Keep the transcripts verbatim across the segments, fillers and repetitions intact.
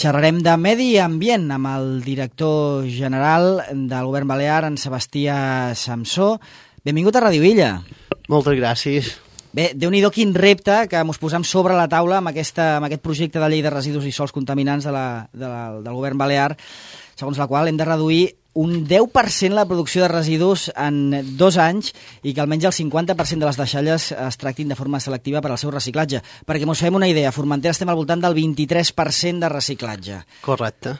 Xerrarem de medi ambient amb el director general del Govern Balear, en Sebastià Samsó. Benvingut a Ràdio Illa. Moltes gràcies. Bé, Déu-n'hi-do quin repte que mos posam sobre la taula amb, aquesta, amb aquest projecte de llei de residus i sòls contaminants de la, de la, del Govern Balear, segons la qual hem de reduir un deu per cent la producció de residus en dos anys i que almenys el cinquanta per cent de les deixalles es tractin de forma selectiva per al seu reciclatge. Perquè mos fem una idea, a Formentera estem al voltant del vint-i-tres per cent de reciclatge. Correcte.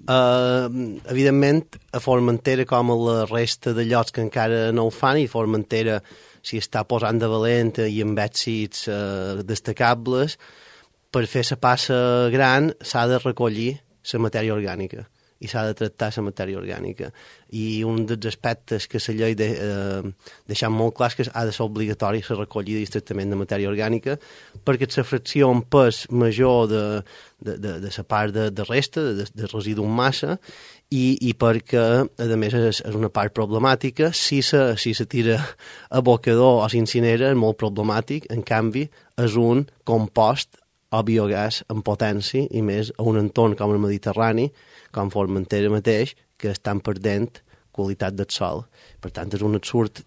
Uh, evidentment, a Formentera, com a la resta de llocs que encara no ho fan, i Formentera s'hi està posant de valenta i amb èxits uh, destacables, per fer la passa gran s'ha de recollir la matèria orgànica i s'ha de tractar la matèria orgànica. I un dels aspectes que la llei de, eh, deixant molt clar és que ha de ser obligatori la recollida i el tractament de matèria orgànica, perquè la fracció en pes major de, de, de, de la part de, de resta, de, de residu en massa, i, i perquè, a més, és, és una part problemàtica. Si se, si se tira a bocador o s'incinera, és molt problemàtic. En canvi, és un compost o biogàs en potència, i més a un entorn com el Mediterrani, com Formentera mateix, que estan perdent qualitat del sol. Per tant, és un absurd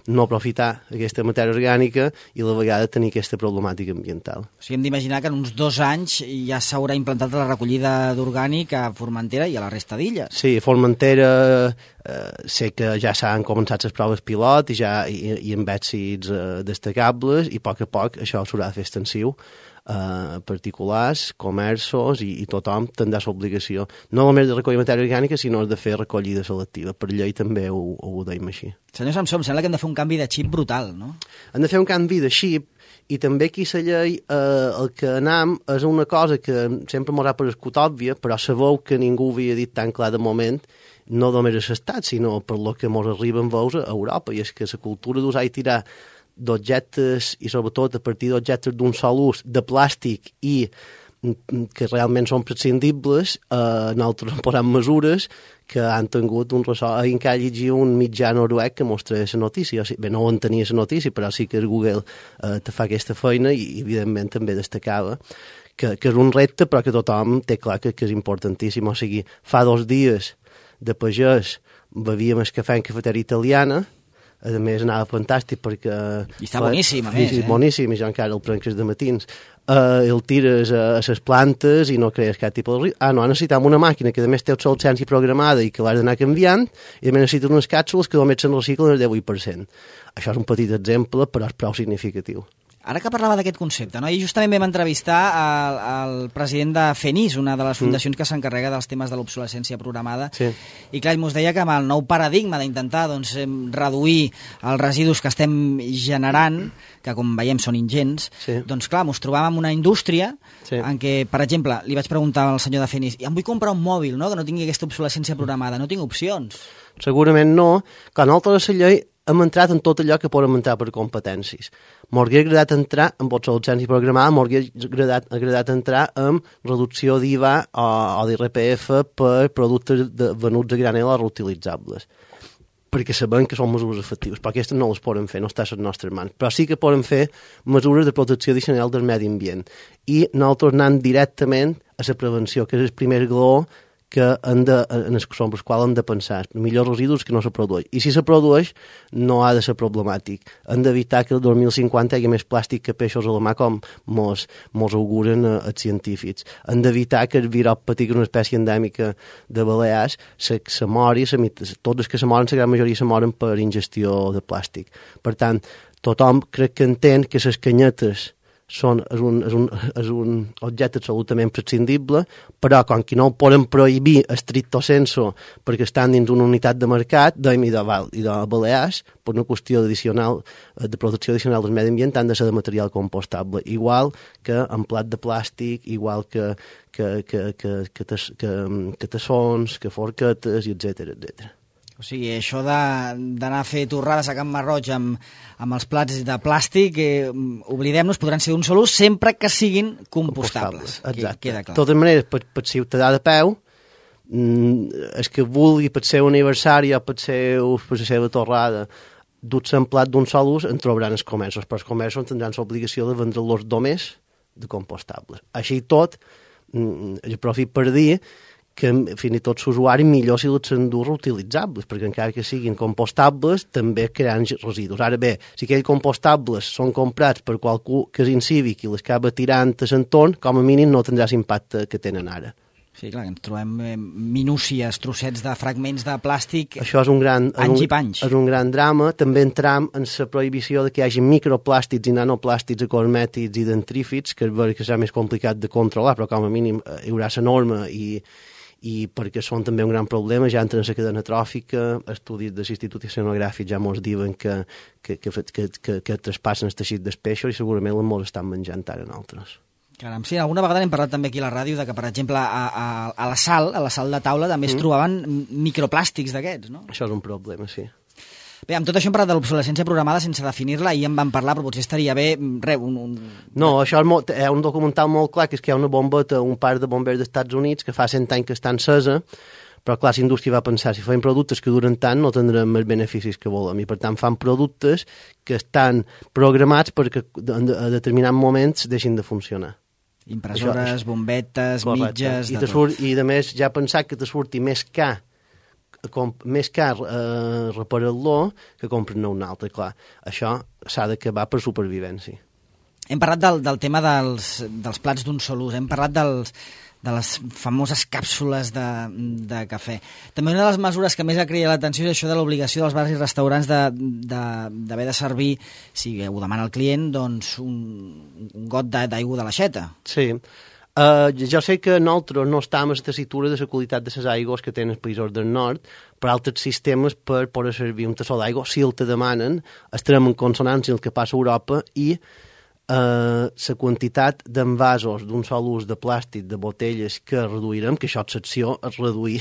no aprofitar aquesta matèria orgànica i a la vegada tenir aquesta problemàtica ambiental. O sigui, hem d'imaginar que en uns dos anys ja s'haurà implantat la recollida d'orgànic a Formentera i a la resta d'illes. Sí, a Formentera eh, sé que ja s'han començat les proves pilot i, ja, i, i amb èxits eh, destacables, i a poc a poc això s'haurà de fer extensiu. Uh, particulars, comerços i, i tothom tindrà l'obligació no només de recollir matèria orgànica, sinó de fer recollida selectiva. Per llei també ho, ho deim així. Senyor Samsó, em sembla que hem de fer un canvi de xip brutal, no? Hem de fer un canvi de xip, i també aquí la llei eh, el que anam és una cosa que sempre m'ho ha parescut òbvia, però sabeu que ningú havia dit tan clar de moment, no només a l'estat, sinó per lo que mos arriben veus a Europa, i és que la cultura d'usar i tirar d'objectes, i sobretot a partir d'objectes d'un sol ús, de plàstic i que realment són prescindibles, eh, nosaltres posem mesures que han tingut un ressò. Encara llegia un mitjà noruec que mostra la notícia. Bé, no ho entenia la notícia, però sí que el Google eh, te fa aquesta feina, i evidentment també destacava que, que és un repte, però que tothom té clar que, que és importantíssim. O sigui, fa dos dies de pagès bevíem el cafè en cafeteria italiana. A més, anava fantàstic perquè... I està boníssim, a més, sí, eh? Boníssim, i jo encara el prenc de matins. Uh, el tires a les plantes i no crees cap tipus de... Ah, no, necessitem una màquina que a més té obsolescència programada i que l'has d'anar canviant, i a més necessites unes càpsules que només se'n reciclen el divuit per cent. Això és un petit exemple, però és prou significatiu. Ara que parlava d'aquest concepte, no? I justament vam entrevistar el, el president de FENIS, una de les fundacions mm. que s'encarrega dels temes de l'obsolescència programada, sí. I clar, ens deia que amb el nou paradigma d'intentar doncs, reduir els residus que estem generant, que com veiem són ingents, sí. doncs clar, ens trobàvem en una indústria sí. en què, per exemple, li vaig preguntar al senyor de FENIS, em vull comprar un mòbil, no?, que no tingui aquesta obsolescència programada, no tinc opcions. Segurament no, que nosaltres a la llei hem entrat en tot allò que podem entrar per competències. M'hauria agradat entrar en obsolescència programada, m'hauria agradat, agradat entrar en reducció d'I V A o, o d'I R P F per productes de, venuts a granel o reutilitzables, perquè sabem que són mesures efectives, però aquestes no les podem fer, no està a les nostres mans. Però sí que podem fer mesures de protecció addicional del medi ambient. I nosaltres anant directament a la prevenció, que és el primer glaó que han de, en els quals hem de pensar, millors residus que no se produeix. I si se produeix, no ha de ser problemàtic. Hem d'evitar que el dos mil cinquanta hi hagi més plàstic que peixos a la mà, com mos, mos auguren eh, els científics. Hem d'evitar que el virop petit, que és una espècie endèmica de Balears, se, se mori, se, tots els que se moren, la gran majoria se moren per ingestió de plàstic. Per tant, tothom crec que entén que les canyetes són, és, un, és, un, és un objecte absolutament prescindible, però com que no ho poden prohibir estricto sensu perquè estan dins una unitat de mercat, de, i, de, i de Balears, per una qüestió addicional, de protecció addicional del medi ambient, han de ser de material compostable, igual que en plat de plàstic, igual que, que, que, que, que, que, que, que tassons, que forquetes, etcètera, etcètera. O sigui, això d'anar a fer torrades a Can Marroig amb, amb els plats de plàstic, eh, oblidem-nos, podran ser un sol ús sempre que siguin compostables. Exacte. Queda clar. De totes maneres, per, per ciutadà de peu, mm, és que vulgui per ser aniversari o per, ser, per la seva torrada dur-se en plat d'un sol ús, en trobaran els comerços, però els comerços tindran l'obligació de vendre-los només de compostables. Així tot, aprofit per dir que fins i tot l'usuari millor si els s'endú reutilitzables, perquè encara que siguin compostables també crean residus. Ara bé, si aquells compostables són comprats per qualcú que és incívic i les acaba tirant a l'entorn, com a mínim no tindrà l'impacte que tenen ara. Sí, clar, ens trobem eh, minúcies, trossets de fragments de plàstic, això és un gran, anys un, i panys. És un gran drama. També entram en la prohibició de que hi hagi microplàstics i nanoplàstics acosmètics i dentrífics, que és vera que serà més complicat de controlar, però com a mínim hi haurà la norma i, i perquè són també un gran problema, ja entren en la cadena tròfica, estudis de l'Institut Oceanogràfic ja ens diuen que, que, que, que, que, que traspassen el teixit dels peixos i segurament els estan menjant ara nosaltres. Caram, sí, alguna vegada n'hem parlat també aquí a la ràdio de que, per exemple, a, a, a la sal, a la sal de taula, també es mm. trobaven microplàstics d'aquests, no? Això és un problema, sí. Bé, amb tot això hem parlat de l'obsolescència programada sense definir-la, i en vam parlar, però potser estaria bé... Re, un, un... No, això és, molt, és un documental molt clar, que és que hi ha una bombeta, un parc de bombers dels Estats Units, que fa cent anys que està encesa, però clar, la indústria va pensar, si fem productes que duren tant, no tindrem els beneficis que volem, i per tant fan productes que estan programats perquè a determinats moments deixin de funcionar. Impressores, això, bombetes, correcte. Mitges... I, surt, I a més ja pensar que te surti més car, com, més car eh, reparar-lo que comprar-ne un altre, clar. Això s'ha d'acabar per supervivència. Hem parlat del, del tema dels, dels plats d'un sol ús, hem parlat dels, de les famoses càpsules de, de cafè. També una de les mesures que més ha cridat l'atenció és això de l'obligació dels bars i restaurants d'haver de, de, de servir, si ho demana el client, doncs un, un got d'aigua de l'aixeta. Sí. Uh, jo sé que nosaltres no estem a la tessitura de la qualitat de les aigües que tenen els països del nord, per altres sistemes per poder servir un tassó d'aigua, si el te demanen, estarem en consonància amb el que passa a Europa i Uh, la quantitat d'envasos d'un sol ús de plàstic, de botelles que reduirem, que això és l'acció, és reduir.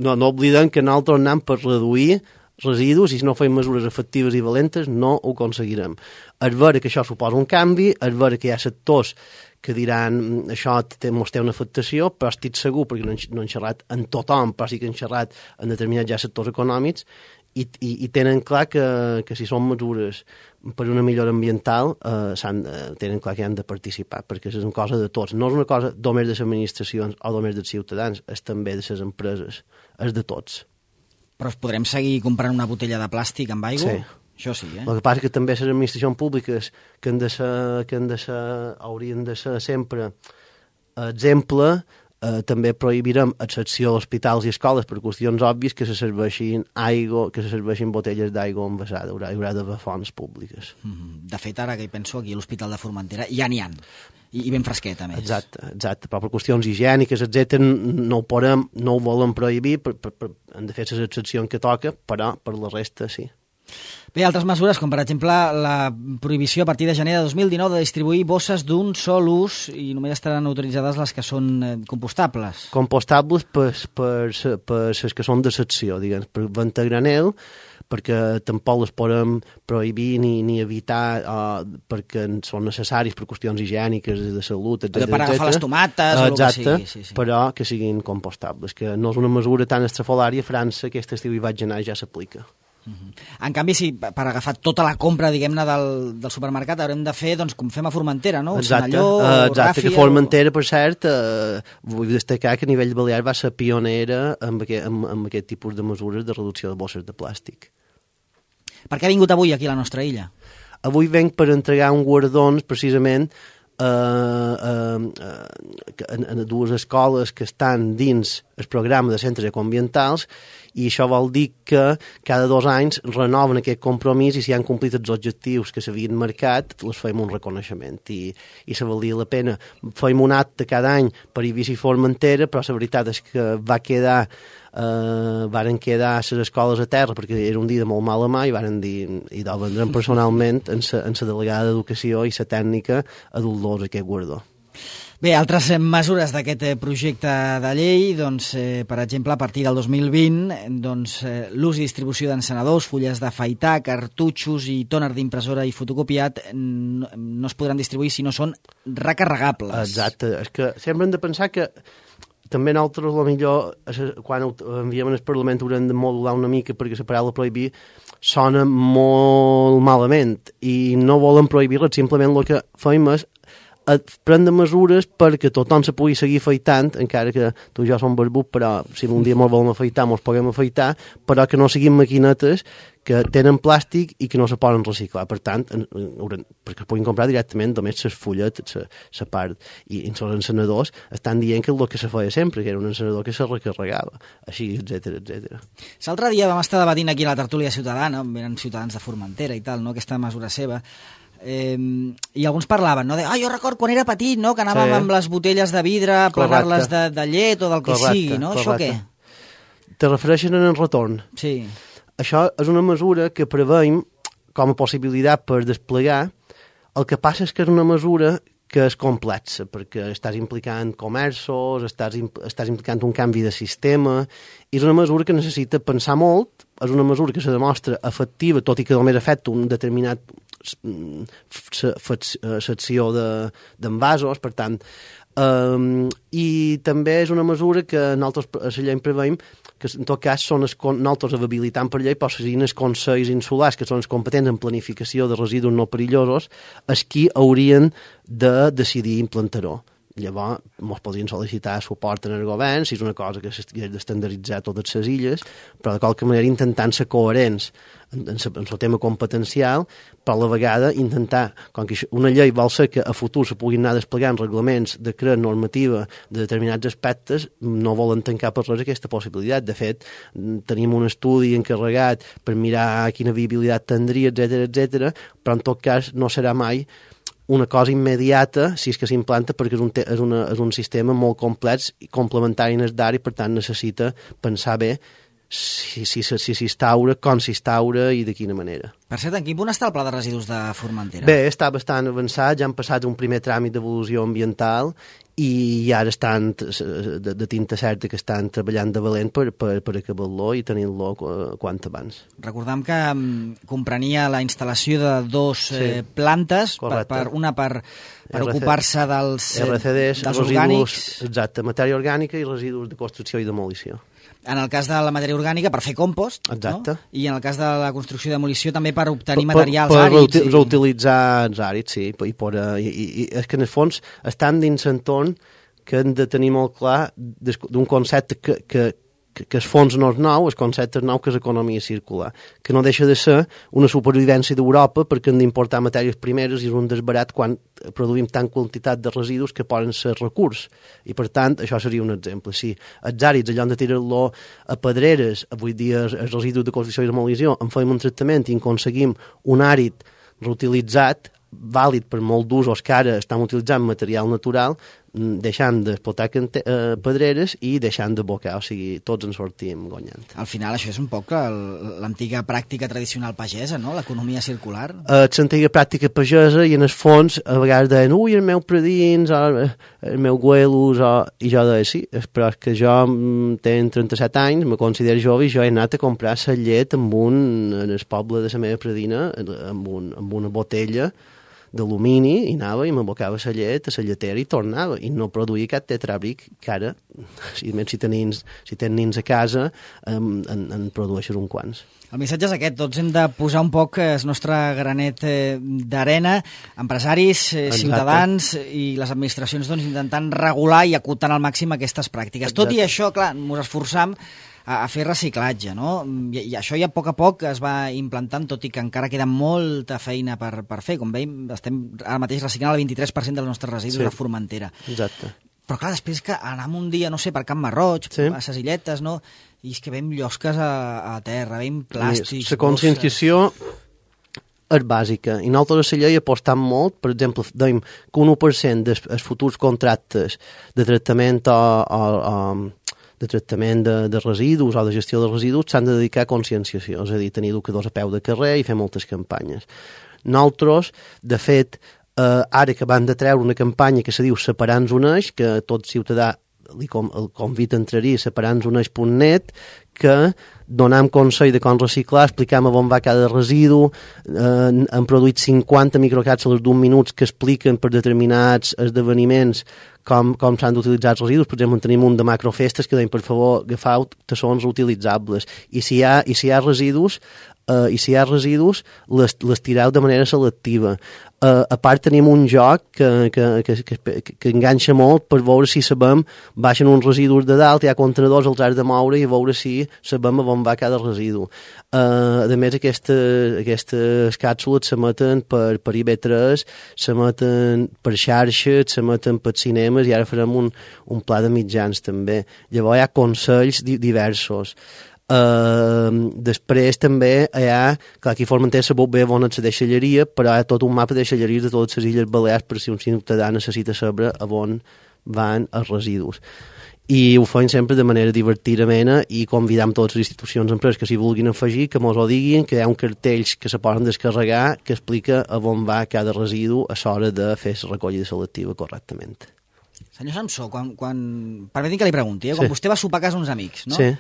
no, no oblidem que nosaltres anem per reduir residus i si no fem mesures efectives i valentes no ho aconseguirem. És vera que això suposa un canvi, és vera que hi ha sectors que diran això mos té una afectació, però estic segur, perquè no, no han xerrat en tothom, però sí que han xerrat en determinats ja sectors econòmics, i, i, i tenen clar que, que si són mesures per una millora ambiental eh, eh, tenen clar que han de participar, perquè és una cosa de tots, no és una cosa només de les administracions o només dels ciutadans, és també de les empreses, és de tots. Però podrem seguir comprant una botella de plàstic amb aigua? Sí. Això sí, eh? El que passa que també les administracions públiques que, han de ser, que han de ser, haurien de ser sempre exemple. Eh, també prohibirem excepció a hospitals i escoles per qüestions òbvies que se serveixin aigua, que se serveixin botelles d'aigua envasada, haurà, haurà d'haver fonts públiques. De fet, ara que hi penso, aquí a l'Hospital de Formentera ja n'hi ha, i, i ben fresqueta, a més. Exacte, exacte, però per qüestions higièniques, etcètera, no ho podem, no ho volem prohibir, per, per, per, hem de fer les excepcions que toca, però per la resta sí. Bé, altres mesures, com per exemple la prohibició a partir de gener de dos mil dinou de distribuir bosses d'un sol ús i només estaran autoritzades les que són eh, compostables. Compostables per, per, per les que són de secció, diguem, per venta granel, perquè tampoc les podem prohibir ni, ni evitar uh, perquè són necessaris per qüestions higièniques, de salut, etcètera. Per agafar les tomates o el que sigui. Sí, sí. Però que siguin compostables, que no és una mesura tan estrafolària. A França aquest estiu hi vaig anar i ja s'aplica. Uh-huh. En canvi, si per agafar tota la compra, diguem-ne, del, del supermercat haurem de fer, doncs, com fem a Formentera, no? Exacte, Senalló, uh, exacte Ràfia, que Formentera, per cert, uh, vull destacar que a nivell balear va ser pionera amb aquest, amb, amb aquest tipus de mesures de reducció de bosses de plàstic. Per què ha vingut avui aquí a la nostra illa? Avui venc per entregar un guardons, precisament, Uh, uh, uh, en, en dues escoles que estan dins el programa de centres ecoambientals, i això vol dir que cada dos anys renoven aquest compromís i si han complit els objectius que s'havien marcat, les fem un reconeixement i, i se valia la pena. Fem un acte cada any per Eivissa i Formentera, però la veritat és que va quedar Uh, varen quedar les escoles a terra perquè era un dia de molt mala mà i varen dir, i el vendrem personalment en la delegada d'Educació i la tècnica a dur-los aquest guardó. Bé, altres mesures d'aquest projecte de llei, doncs, eh, per exemple, a partir del dos mil vint, doncs, eh, l'ús i distribució d'encenedors, fulles d'afaitar, cartutxos i tòner d'impressora i fotocopiat no, no es podran distribuir si no són recarregables. Exacte, és que sempre hem de pensar que també nosaltres, potser, quan enviem al Parlament haurem de modular una mica perquè la paraula prohibir sona molt malament i no volen prohibir-la, simplement el que fem és prendre mesures perquè tothom se pugui seguir afeitant, encara que tu i jo som barbut, però si un dia ens volem afeitar, ens podem afeitar, però que no siguin maquinetes que tenen plàstic i que no se poden reciclar. Per tant, perquè es puguin comprar directament només les fulletes, la part. I els encenedors estan dient que és el que se feia sempre, que era un encenedor que se recarregava, així, etcètera, etcètera. L'altre dia vam estar debatint aquí a la tertúlia ciutadana, eren ciutadans de Formentera i tal, no? Aquesta mesura seva, Eh, i alguns parlaven, no? De, ah, jo record quan era petit, no? Que anàvem sí. amb les botelles de vidre a plegar-les de, de llet o del que correcte, sigui, no? Correcte. Això què? Te refereixen en el retorn. Sí. Això és una mesura que preveiem com a possibilitat per desplegar. El que passa és que és una mesura que és complexa, perquè estàs implicant comerços, estàs, estàs implicant un canvi de sistema, i és una mesura que necessita pensar molt, és una mesura que se demostra efectiva, tot i que només afecta un determinat secció d'envasos, per tant, um, i també és una mesura que nosaltres a la llei preveiem que en tot cas són els, nosaltres habilitant per llei, però siguin els consells insulars, que són els competents en planificació de residus no perillosos, els qui haurien de decidir implantar-ho. Llavors, ens podrien sol·licitar suport en el govern, si és una cosa que s'hagués d'estandarditzar a totes les illes, però de qualque manera intentant ser coherents en, en, en el tema competencial, però a la vegada intentar, com que una llei vol ser que a futur se puguin anar desplegant reglaments de crear normativa de determinats aspectes, no volen tancar per res aquesta possibilitat. De fet, tenim un estudi encarregat per mirar quina viabilitat tindria, etcètera, etcètera, però en tot cas no serà mai una cosa immediata, si és que s'implanta, perquè és un, te és, una, és un sistema molt complex i complementari en el d'ara i, per tant, necessita pensar bé si s'instaura, si, si com s'instaura i de quina manera. Per cert, en quin punt està el pla de residus de Formentera? Bé, està bastant avançat, ja han passat un primer tràmit d'evolució ambiental i ara estan de, de tinta certa que estan treballant de valent per, per, per acabar-lo i tenir-lo quant abans. Recordem que um, comprenia la instal·lació de dos sí, eh, plantes, per, per, una per, per ocupar-se dels, eh, R C Ds, dels residus, orgànics. Exacte, matèria orgànica i residus de construcció i demolició. En el cas de la matèria orgànica, per fer compost, exacte, no? I en el cas de la construcció i demolició també per obtenir per, materials per àrids. Per reutilitzar els àrids, sí. I, per, i, i, i és que en el fons estan dins l'entorn que hem de tenir molt clar d'un concepte que, que, que, que el fons no és nou, el concepte és nou, que és economia circular, que no deixa de ser una supervivència d'Europa perquè hem d'importar matèries primeres i és un desbarat quan produïm tant quantitat de residus que poden ser recurs. I, per tant, això seria un exemple. Si els àrids, allò de tirar-lo a pedreres, avui dia els residus de construcció i demolició, en fem un tractament i en aconseguim un àrid reutilitzat, vàlid per molt d'usos que ara estan utilitzant material natural, deixant d'explotar eh, pedreres i deixant de bocar, o sigui, tots en sortim guanyant. Al final això és un poc l'antiga pràctica tradicional pagesa, no?, l'economia circular. Eh, l'antiga pràctica pagesa i en el fons a vegades deien, ui, el meu predins, o el meu güelos, o... i jo deia, sí, però és que jo tenc trenta-set anys, me considero jove i jo he anat a comprar la llet amb un, en el poble de la meva predina, amb, un, amb una botella d'alumini i anava i m'abocava la llet a la lletera i tornava i no produïa cap tetrabric que ara, si, si tens si tens nins a casa en, en, en produeixes uns quants. El missatge és aquest, tots hem de posar un poc el nostre granet d'arena, empresaris, Exacte. ciutadans i les administracions doncs, intentant regular i acotant al màxim aquestes pràctiques. Exacte. Tot i això, clar, ens esforçam a fer reciclatge, no? I, i això ja a poc a poc es va implantant, tot i que encara queda molta feina per, per fer. Com veiem, estem ara mateix reciclant el vint-i-tres per cent dels nostres residus sí. a Formentera. Exacte. Però clar, després que anem un dia, no sé, per Can Marroig, sí. a ses illetes, no? I és que veiem llosques a, a terra, veiem plàstics... La conscienciació és bàsica, i nosaltres a la llei apostam molt, per exemple, dèiem que un u per cent dels futurs contractes de tractament o, o, o de tractament de, de residus o de gestió de residus s'han de dedicar a conscienciació, és a dir, tenir educadors a peu de carrer i fer moltes campanyes. Nosaltres, de fet, eh, ara que van de treure una campanya que se diu Separant un eix, que tot ciutadà li com, el convida a entrar-hi a separant un eix punt net, que donam consell de com reciclar, explicam on va cada residu, eh, han produït cinquanta microcàpsules d'un minut que expliquen per determinats esdeveniments com, com s'han d'utilitzar els residus. Per exemple, tenim un de macrofestes que deien, per favor, agafeu tassons reutilitzables. I si hi ha, i si hi ha residus, uh, i si hi ha residus, les, les tireu de manera selectiva. Uh, a part tenim un joc que, que, que, que, que enganxa molt per veure si sabem, baixen uns residus de dalt, hi ha contenedors, els has de moure i veure si sabem a on va cada residu. Uh, a més, aquesta, aquestes càpsules s'emeten per, per I B tres, s'emeten per xarxes, s'emeten per cinemes i ara farem un, un pla de mitjans també. Llavors hi ha consells di diversos. Uh, després també hi ha, clar, aquí Formentera sabut bé on és la deixalleria, però hi ha tot un mapa de deixalleries de totes les Illes Balears per si un ciutadà necessita saber a on van els residus. I ho feim sempre de manera divertidament i convidam totes les institucions i empreses que s'hi vulguin afegir, que mos ho diguin, que hi ha un cartells que se poden descarregar que explica a on va cada residu a l'hora de fer la recollida selectiva correctament. Senyor Samsó, quan, quan... permeti'm que li pregunti, eh? Quan sí. vostè va sopar a casa uns amics, no? Sí.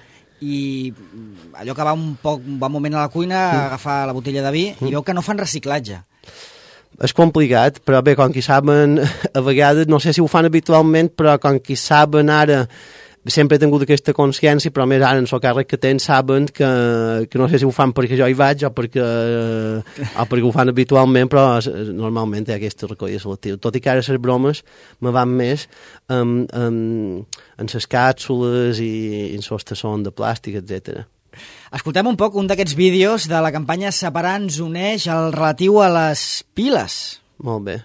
I allò que va un poc un bon moment a la cuina a agafar la botella de vi i veu que no fan reciclatge. És complicat, però bé, com que saben, a vegades, no sé si ho fan habitualment, però com que saben ara, sempre he tingut aquesta consciència, però més ara en el càrrec que tenen saben que, que no sé si ho fan perquè jo hi vaig o perquè, o perquè ho fan habitualment, però normalment hi ha aquesta recollida selectiva. Tot i que ara les bromes me van més en, en, en les càpsules i en les tassons de plàstic, etcètera. Escoltem un poc un d'aquests vídeos de la campanya Separar ens uneix al relatiu a les piles. Molt bé.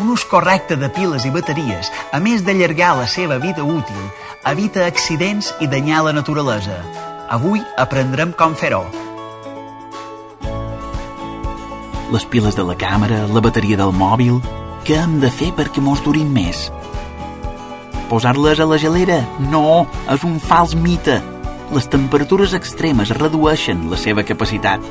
Un ús correcte de piles i bateries, a més d'allargar la seva vida útil, evita accidents i danyar la naturalesa. Avui aprendrem com fer-ho. Les piles de la càmera, la bateria del mòbil... Què hem de fer perquè mos durin més? Posar-les a la gelera? No, és un fals mite. Les temperatures extremes redueixen la seva capacitat.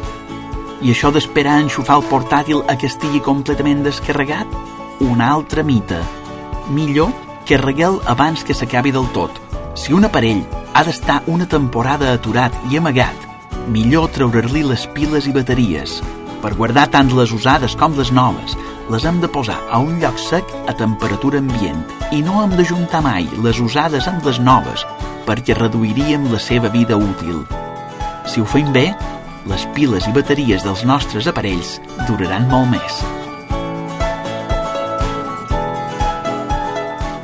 I això d'esperar enxufar el portàtil a que estigui completament descarregat? Un altre mite. Millor carregue'l abans que s'acabi del tot. Si un aparell ha d'estar una temporada aturat i amagat, millor treure-li les piles i bateries. Per guardar tant les usades com les noves, les hem de posar a un lloc sec a temperatura ambient i no hem d'ajuntar mai les usades amb les noves perquè reduiríem la seva vida útil. Si ho fem bé, les piles i bateries dels nostres aparells duraran molt més.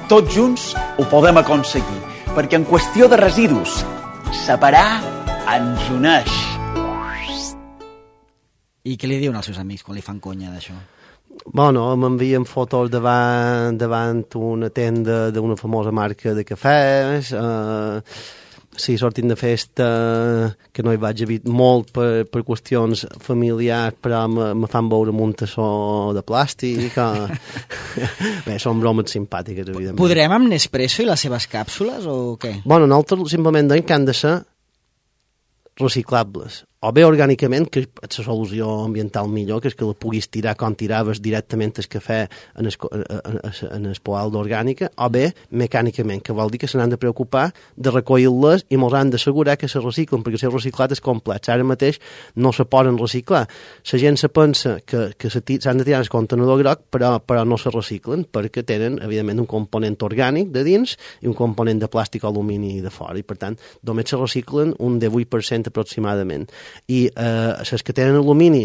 Tots junts ho podem aconseguir, perquè en qüestió de residus, separar ens uneix. I què li diuen als seus amics quan li fan conya d'això? Bueno, m'envien fotos davant, davant una tenda d'una famosa marca de cafès, eh, sí, sortint de festa, que no hi vaig haver molt per, per qüestions familiars, però me, me fan veure un tassó de plàstic. O... Bé, són bromes simpàtiques, evidentment. Podrem amb Nespresso i les seves càpsules, o què? Bueno, nosaltres simplement deim que han de ser reciclables. O bé orgànicament, que és la solució ambiental millor, que és que la puguis tirar com tiraves directament el cafè en el, en el poal d'orgànica, o bé mecànicament, que vol dir que se n'han de preocupar de recollir-les i mos han d'assegurar que se reciclen, perquè el reciclat és complex. Ara mateix no se poden reciclar. La gent se pensa que, que s'han de tirar el contenidor groc, però, però no se reciclen, perquè tenen, evidentment, un component orgànic de dins i un component de plàstic o alumini de fora, i per tant només se reciclen un divuit per cent aproximadament. I eh, les que tenen alumini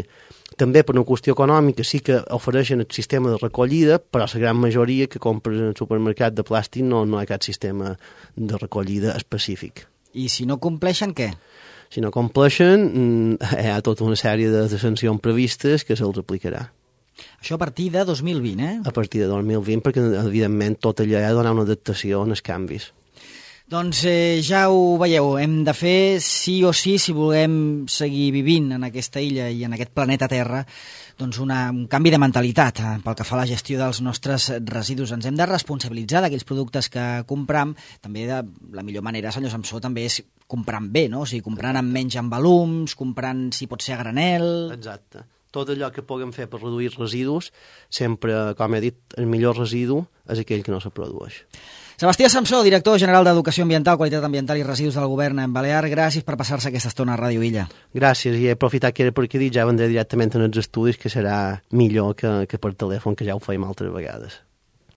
també per una qüestió econòmica sí que ofereixen el sistema de recollida, però la gran majoria que compren en el supermercat de plàstic no, no hi ha cap sistema de recollida específic. I si no compleixen, què? Si no compleixen, hi ha tota una sèrie de, de sancions previstes que se'ls aplicarà. Això a partir de dos mil vint, eh? A partir de dos mil vint, perquè evidentment tot allò ha de donar una adaptació als canvis. Doncs eh, ja ho veieu, hem de fer sí o sí, si volem seguir vivint en aquesta illa i en aquest planeta Terra, doncs una, un canvi de mentalitat eh, pel que fa a la gestió dels nostres residus. Ens hem de responsabilitzar d'aquells productes que compram. També de la millor manera, senyor Samsó, també és comprant bé, no? O sigui, comprant amb menys envolums, comprant, si pot ser, a granel... Exacte. Tot allò que puguem fer per reduir residus, sempre, com he dit, el millor residu és aquell que no se produeix. Sebastià Samsó, director general d'Educació Ambiental, Qualitat Ambiental i Residus del Govern en Balear, gràcies per passar-se aquesta estona a Ràdio Illa. Gràcies, i he aprofitat que era per aquí dit, ja vendré directament en els estudis, que serà millor que, que per telèfon, que ja ho feim altres vegades.